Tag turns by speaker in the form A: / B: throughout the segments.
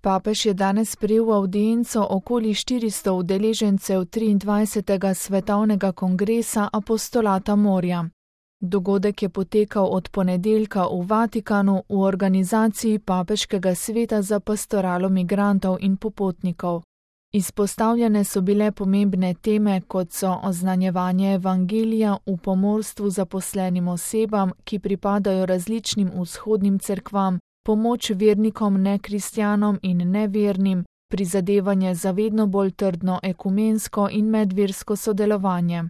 A: Papež je danes sprejel v avdienco okoli 400 udeležencev 23. svetovnega kongresa apostolata morja. Dogodek je potekal od ponedeljka v Vatikanu v organizaciji Papeškega sveta za pastoralo migrantov in popotnikov. Izpostavljene so bile pomembne teme, kot so oznanjevanje evangelija v pomorstvu zaposlenim osebam, ki pripadajo različnim vzhodnim cerkvam, pomoč vernikom nekristjanom in nevernim, prizadevanje za vedno bolj trdno ekumensko in medversko sodelovanje.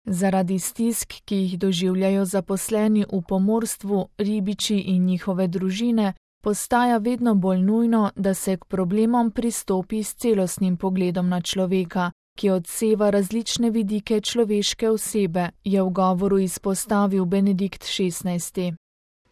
A: Zaradi stisk, ki jih doživljajo zaposleni v pomorstvu, ribiči in njihove družine, postaja vedno bolj nujno, da se k problemom pristopi s celostnim pogledom na človeka, ki odseva različne vidike človeške osebe, je v govoru izpostavil Benedikt XVI.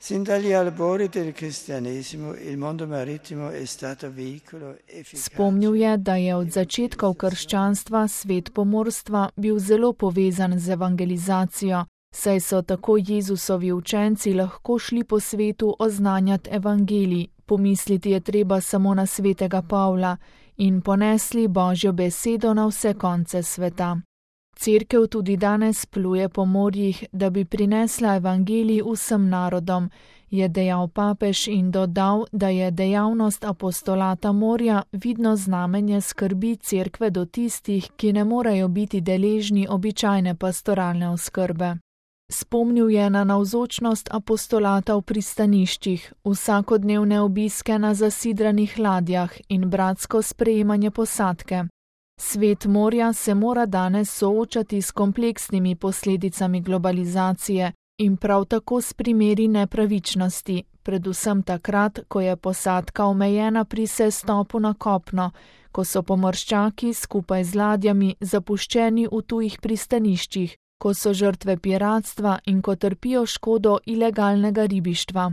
B: Sin dagli albori del cristianesimo il mondo marittimo è stato veicolo efficace.
A: Spomnil je, da je od začetkov krščanstva svet pomorstva bil zelo povezan z evangelizacijo, saj so tako Jezusovi učenci lahko šli po svetu oznanjati evangelij, pomisliti je treba samo na svetega Pavla, in ponesli Božjo besedo na vse konce sveta. Cerkev tudi danes pluje po morjih, da bi prinesla evangelij vsem narodom, je dejal papež in dodal, da je dejavnost apostolata morja vidno znamenje skrbi cerkve do tistih, ki ne morejo biti deležni običajne pastoralne oskrbe. Spomnil je na navzočnost apostolata v pristaniščih, vsakodnevne obiske na zasidranih ladjah in bratsko sprejemanje posadke. Svet morja se mora danes soočati s kompleksnimi posledicami globalizacije in prav tako s primeri nepravičnosti, predvsem takrat, ko je posadka omejena pri sestopu na kopno, ko so pomorščaki skupaj z ladjami zapuščeni v tujih pristaniščih, ko so žrtve piratstva in ko trpijo škodo ilegalnega ribištva.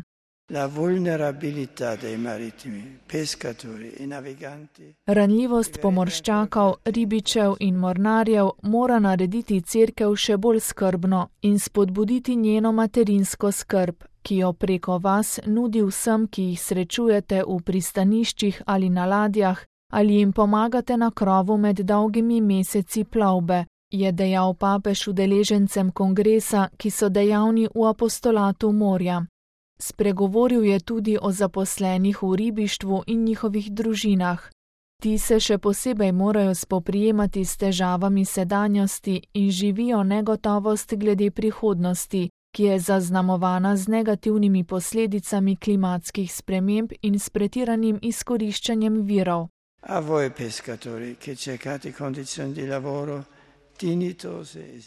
B: La vulnerabilità dei marittimi, pescatori e naviganti.
A: Ranljivost pomorščakov, ribičev in mornarjev mora narediti cerkev še bolj skrbno in spodbuditi njeno materinsko skrb, ki jo preko vas nudi vsem, ki jih srečujete v pristaniščih ali na ladjah, ali jim pomagate na krovu med dolgimi meseci plovbe, je dejal papež udeležencem kongresa, ki so dejavni v apostolatu morja. Spregovoril je tudi o zaposlenih v ribištvu in njihovih družinah. Ti se še posebej morajo spoprijemati s težavami sedanjosti in živijo negotovost glede prihodnosti, ki je zaznamovana z negativnimi posledicami klimatskih sprememb in s pretiranim izkoriščanjem virov.
B: A voi pescatori, che cercate condizioni di lavoro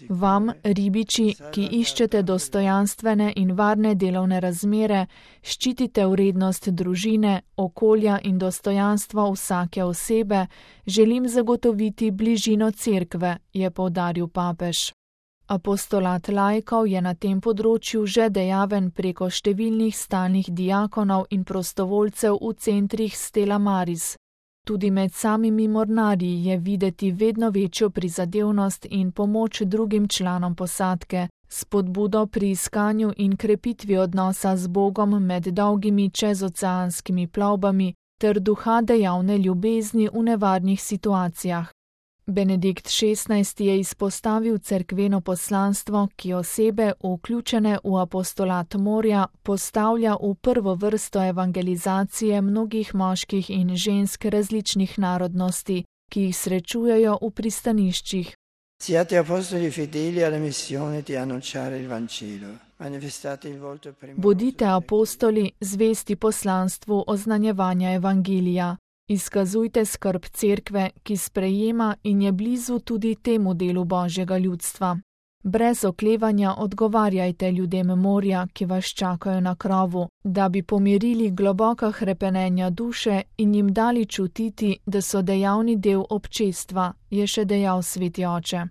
A: Vam, ribiči, ki iščete dostojanstvene in varne delovne razmere, ščitite vrednost družine, okolja in dostojanstvo vsake osebe, želim zagotoviti bližino cerkve, je poudaril papež. Apostolat laikov je na tem področju že dejaven preko številnih stalnih diakonov in prostovoljcev v centrih Stella Maris. Tudi med samimi mornarji je videti vedno večjo prizadevnost in pomoč drugim članom posadke, spodbudo pri iskanju in krepitvi odnosa z Bogom med dolgimi čezoceanskimi plovbami ter duha dejavne ljubezni v nevarnih situacijah. Benedikt XVI je izpostavil cerkveno poslanstvo, ki osebe, vključene v apostolat morja, postavlja v prvo vrsto evangelizacije mnogih moških in žensk različnih narodnosti, ki jih srečujejo v pristaniščih.
B: Siate apostoli fedeli alla missione di annunciare il Vangelo. Manifestate il volto primoroso.
A: Bodite apostoli, zvesti poslanstvu oznanjevanja evangelija. Izkazujte skrb cerkve, ki sprejema in je blizu tudi temu delu Božjega ljudstva. Brez oklevanja odgovarjajte ljudem morja, ki vas čakajo na krovu, da bi pomirili globoka hrepenenja duše in jim dali čutiti, da so dejavni del občestva, je še dejal sveti oče.